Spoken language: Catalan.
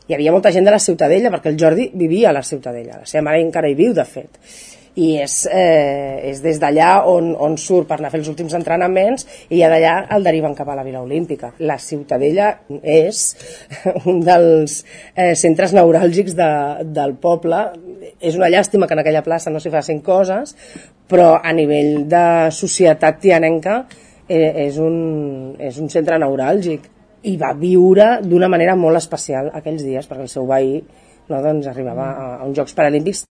hi havia molta gent de la Ciutadella, perquè el Jordi vivia a la Ciutadella, la seva mare encara hi viu, de fet, i és des d'allà on surt per anar a fer els últims entrenaments, i ja d'allà el deriven cap a la Vila Olímpica. La Ciutadella és un dels centres neuràlgics del poble. És una llàstima que en aquella plaça no s'hi facin coses, però a nivell de societat tianenca és un centre neuràlgic, i va viure d'una manera molt especial aquells dies, perquè el seu veí, no, doncs, arribava a uns Jocs Paralímpics.